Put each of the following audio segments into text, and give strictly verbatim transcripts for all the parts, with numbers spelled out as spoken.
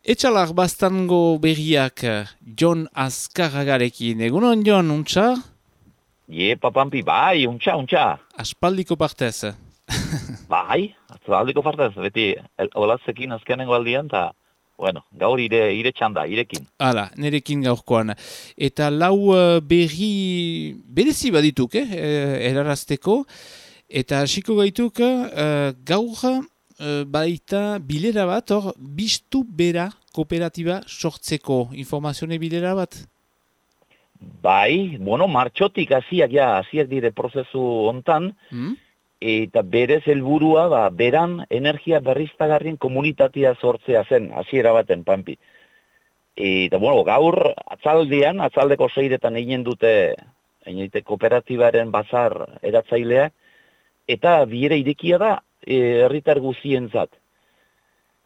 Etxalak bastango berriak Jon Azkarragarekin. Egunon, Jon, untxa? Ie, papampi, bai, untxa, untxa. Aspaldiko partez. Bai, atzaldiko partez, beti olatzekin azkenengo aldian, eta, bueno, gaur ire, ire txanda, irekin. Hala, nerekin gaurkoan. Eta lau uh, berri berezi badituk, eh, erarazteko. Eta hasiko gaituk uh, gaur uh, baita bilera bat, hor, biztu bera kooperatiba sortzeko informazione bilera bat? Bai, bueno, martxotik hasiak ja, hasiak dire prozesu hontan, Hmm? eta berez helburua ba, beran energia berriztagarrien komunitatea sortzea zen, hasiera baten, pampi. Eta, bueno, gaur atzaldean, atzaldeko seiretan egin dute, egin dute kooperatibaren bazar eratzaileak, eta biera irekia da e, herritar guzientzat.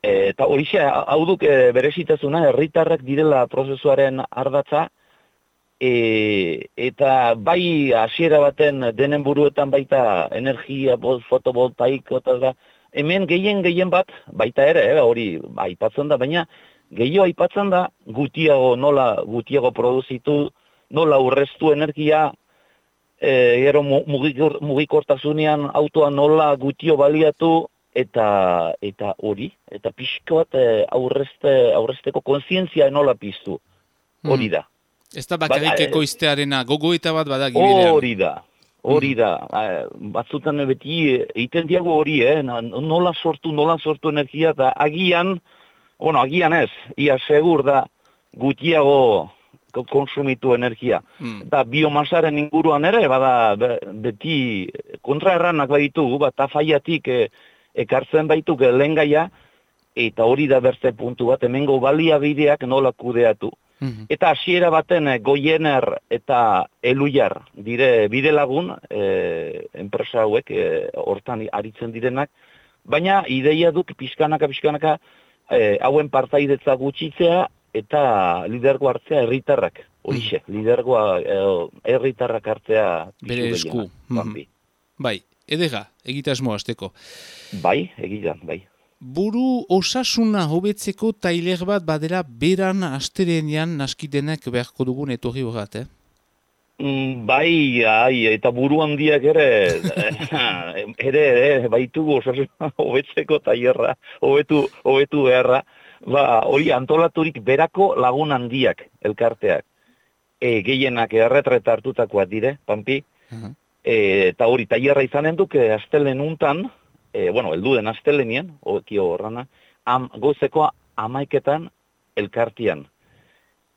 E, eta horixe, hau duk e, berezitasuna, herritarrak direla prozesuaren ardatza, e, eta bai hasiera baten denen buruetan baita energia, fotovoltaiko, eta da, hemen gehien gehien bat, baita ere, eh, hori aipatzen da, baina gehiago aipatzen da gutiago nola gutiago produzitu, nola urreztu energia, e, gero mugikor, mugikortasunean autoa nola gutio baliatu, eta eta hori, eta pixko bat e, aurrezte, aurrezteko kontzientzia nola piztu, hori da. Ez da bakarik Ba- ekoiztearena, gogoeta bat badak ibilean. Hori da, hori da. Batzutan beti egiten diago hori, eh? nola sortu, nola sortu energia, eta agian, bueno, agian ez, ia segur da gutiago konsumitu energia. Hmm. Eta biomasaren inguruan ere, bada be- beti kontraerranak baditugu, bat afaiatik e, ekartzen baituk lehengaia, eta hori da berze puntu bat, hemengo baliabideak nola kudeatu. Mhm. Eta hasiera baten eh, Goiener eta Eluiar dire bide lagun, e, enpresa hauek e, hortan aritzen direnak, baina ideia duk pixkanaka pixkanaka e, hauen partaidetza gutxitzea eta lidergo hartzea herritarrak. Horixe, lidergoa e, herritarrak hartzea pisu Bere esku. gehienak, Mhm. Bambi. Bai, edera, egitasmo hasteko. Bai, egidan, bai. Buru osasuna hobetzeko tailer bat badela beran asterenean naskidenek beharko dugun etorri horret, eh? Mm, bai, ai, eta buru handiak ere, ere, ere, baitugu osasuna hobetzeko tailerra, hobetu, hobetu beharra, ba, hori antolaturik berako lagun handiak elkarteak. E, gehienak erretreta hartutakoak dire, Pampi, Uh-huh. e, eta hori tailerra izanen duk, e, astelen untan, e, bueno, elduden astelenien, okio horrana, am, gozeko amaiketan elkartian.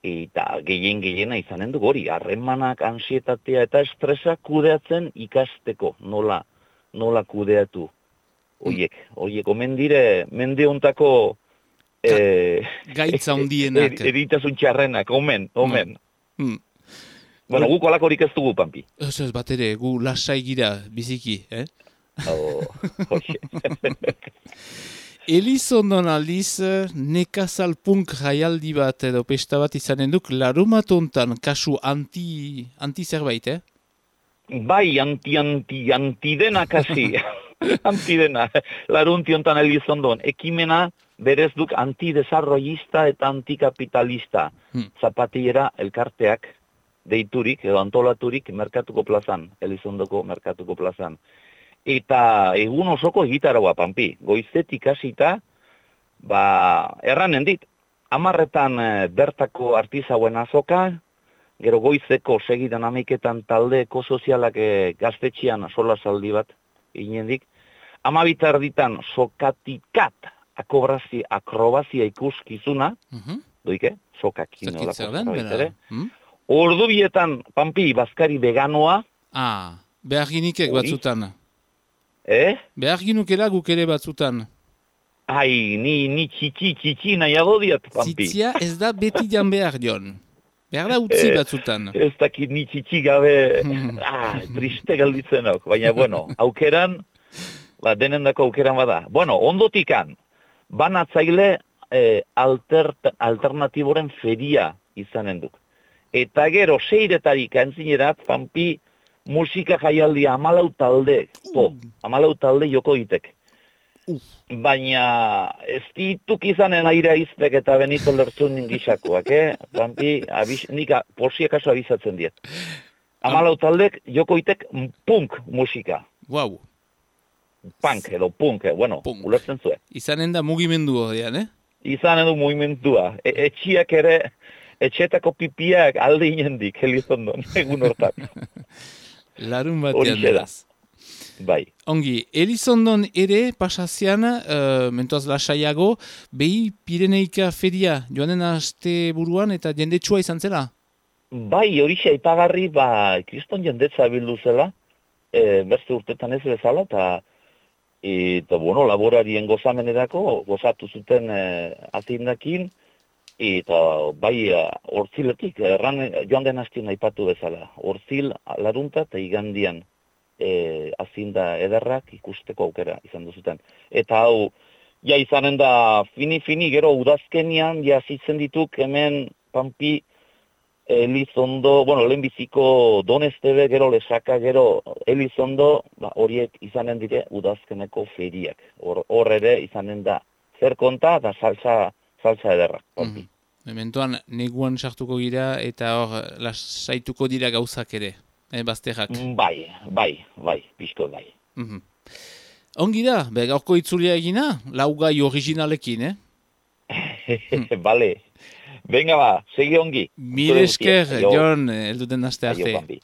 Eta gehien gehiena izanen du hori, harremanak, ansietatea eta estresa kudeatzen ikasteko, nola, nola kudeatu. Oiek, oiek, omen dire, mende hontako e, Gaitza handienak. er- eritasun txarrenak, omen, omen. Hmm. Bueno, guk olakorik ez dugu, Pampi. Ez ez bat ere, gu lasai gira biziki, eh? Oh, hoxe. Elizondon aldiz, nekazal punk jaialdi bat edo pesta bat izanen duk, larumatontan kasu anti, anti zerbait, eh? Bai, anti, anti, antidena kasi. Antidena. Larunti hontan Elizondon. Ekimena berez duk antidesarrollista eta antikapitalista. Hmm. Zapatillera elkarteak deiturik edo antolaturik merkatuko plazan, Elizondoko merkatuko plazan. Eta egun osoko egitaragoa, Pampi. Goizetik hasita, ba, erranen dit, amarretan e, bertako artizauen azoka, gero goizeko segidan amaiketan taldeeko sozialak e, gaztetxian solasaldi bat inendik, amabitar ditan sokatikat akobrazi, akrobazia ikuskizuna, Uh-huh. doike, sokak Zerkit inolako zer den, zerbait bera? ere. Hmm? Ordu bietan, Pampi, bazkari veganoa, Ah, behar ginikek Hori. batzutan. eh? Behar ginukela guk ere batzutan. Ai, ni, ni txitsi, txitsi nahiago diat, Pampi. Zitzia ez da beti jan behar, Jon. Behar da utzi Eh, batzutan. Ez dakit ni txitsi gabe, ah, triste galditzenok, baina bueno, aukeran, ba, denendako aukeran bada. Bueno, ondotikan, banatzaile eh, alter, alternatiboren feria izanen duk. Eta gero, seiretarik antzinerat, Pampi, musika jaialdia amalau talde, po, amalau talde joko itek. Uh. Baina ez dituk izanen aire izpek eta Benito Lertzunin gisakoak, eh? Pampi, abis, nik a, posiek aso abizatzen diet. Amalau taldek jokoitek punk musika. Wow. Punk edo punk, eh? Bueno, Punk. ulertzen zuen. Izanen da mugimendu horrean, eh? Izanen du mugimendua. E, etxiak ere, etxetako pipiak alde inendik, Elizondon, egun hortan. Larun batean Horixe da. beraz. Bai. Ongi, Elizondon ere pasazian, uh, mentoaz lasaiago, behi Pireneika feria joanen aste buruan eta jendetsua izan zela? Bai, horixe aipagarri, ba, kriston jendetza bildu zela, e, beste urtetan ez bezala, eta eta, bueno, laborarien gozamenerako, gozatu zuten e, atindakin, eta bai, hortziletik, erran joan den hastien aipatu bezala, hortzil, larunta eta igandian, e, azinda ederrak ikusteko aukera izan duzuten. Eta hau, ja izanen da fini-fini, gero udazkenian, ja zitzen dituk hemen Pampi, Elizondo, bueno, lehenbiziko Donestebe, gero Lesaka, gero Elizondo, ba, horiek izanen dire udazkeneko feriak. Hor, hor ere izanen da zer konta eta salsa, salsa ederrak. Pampi. Mm. Mementoan, neguan sartuko gira eta hor lasaituko dira gauzak ere, eh, bazterrak. Bai, bai, bai, pixko bai. Mm-hmm. Ongi da, be, gaurko itzulia egina, laugai originalekin, eh? Bale, venga ba, segi ongi. Mil esker, Jon, elduten aste Aio, arte. Pampi.